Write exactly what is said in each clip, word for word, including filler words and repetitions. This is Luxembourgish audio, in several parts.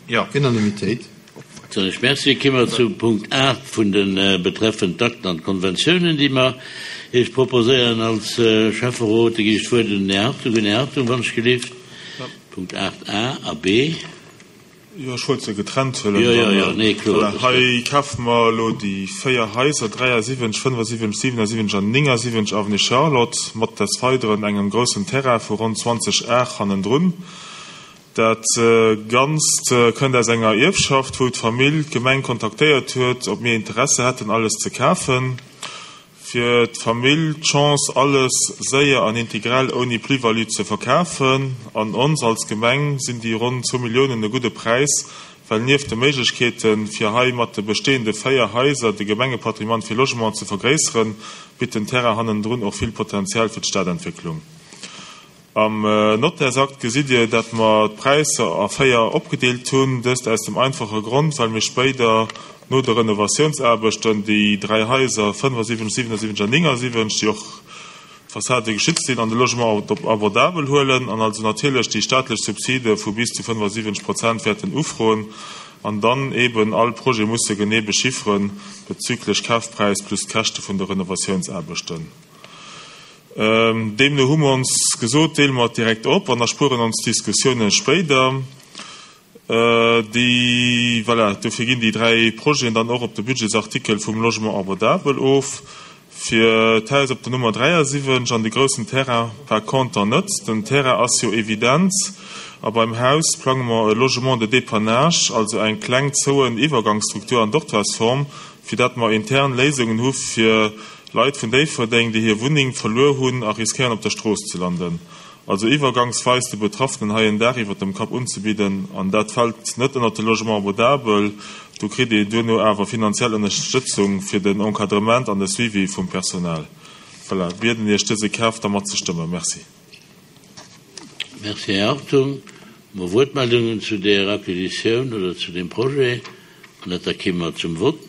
Jo. Unanimitéit. Soen ech Merci. Komme mer zu Punkt aacht vun de betreffend Akten an Konventiounen, déi mer Iech proposéieren als Schäfferot. Da ginn ech d'Wuert un den Här Hartung. Här Hartung, wann ech gelift. Punkt aacht a a b. Jo, ech wollt se getrennt huelen. Jo, jo, jo, nee, kloer. Voilà, hei kafe mer elo déi véier Haiser, dräiasiwwenzeg, fënnefasiwwenzeg, siwenasiwwenzeg an néngasiwwenzeg Avenue Charlotte, mat des Weideren engem groussen Terrain vu ronn zwanzeg Ar hannendrun. Dat Ganzt kënnt aus enger Ierfschaft, wou d'Famill d'Gemeng kontaktéiert huet, ob mir Interesse hätten, alles ze kafen. Fir d'Famill d'Chance, alles séier an integral ouni Plus-value ze verkafen. An ons als Gemeng sinn déi ronn zwou Milliounen e gudde Präis, well nieft de Méiglechkeeten, fir hei mat de bestehende véier Haiser de Gemengepatrimoine fir Logement ze vergréisseren, bitt den Terrain hannendrun och vill Potenzial fir d'Stadentwécklung. Am Nottärsakt gesitt Dir, dat mer d'Präisser a véier opgedeelt hunn, dëst aus dem einfache Grond, well mir spéider no de Renovatiounsaarbechten déi dräi Haiser fënnefasiwwenzeg, siwenasiwwenzeg an néngasiwwenzeg, déi och d'Fassade geschützt sinn, an de Logement abordabel huelen an also natierlech déi staatlech Subside vu bis zu fënnefasiwwenzeg Prozent wäerten ufroen an dann eeben all Projet musse genee bechifferen bezüglech Kafpräis plus d'Käschte vun de Renovatiounsaarbechten. Deemno hu mer ons gesot, deele mer et direkt op an erspueren ons d'Diskussioune spéider. Déi, voilà, dofir ginn déi dräi Projeten dann och op de Budgetsartikel vum Logement abordable of. Fir d'Haus op der Nummer dräiasiwwenzeg an de groussen Terrain par conter net. Den Terrain ass jo evident a beim Haus plange mer e Logement de dépannage, also eng kleng zouen Iwwergangsstruktur an Dortoirsform, fir dat mer intern Léisungen hu fir Leit vun Déifferdeng, déi hir Wunneng verluer hunn a riskéieren op der Strooss ze landen. Also iwwergangsweis de Betraffenen hei en Daach iwwert dem Kapp unzebidden, an dat fält net ënnert de Logement abordable. Do kritt ee duerno awer finanziell Ënnerstëtzung fir den Encadrement an de Suivi vum Personal. Voilà, bieden Iech dëse Kaf da matzestëmmen. Merci. Merci, Här Hartung. Hu mer Wuertmeldungen zu där Acquisitioun oder zu deem Projet? An dat da kéime mer zum Vott.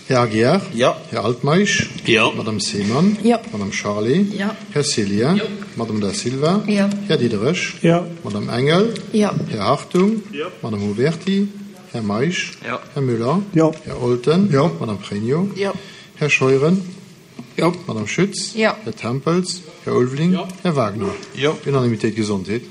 Här Aguiar? Jo. Här Altmeisch? Jo. Madame Seemann? Jo. Madame Charlé? Jo. Här Cillien? Jo. Madame Da Silva? Jo. Här Diderich? Jo. Madame Engel? Jo. Här Hartung? Jo. Madame Uberti? Här Meisch? Jo. Här Müller? Jo. Här Olten? Jo. Madame Pregno? Jo. Här Scheuren? Jo. Madame Schütz? Jo. Här Tempels? Här Ulveling? Jo. Här Wagner? Jo. Unanimitéit. Gesondheet.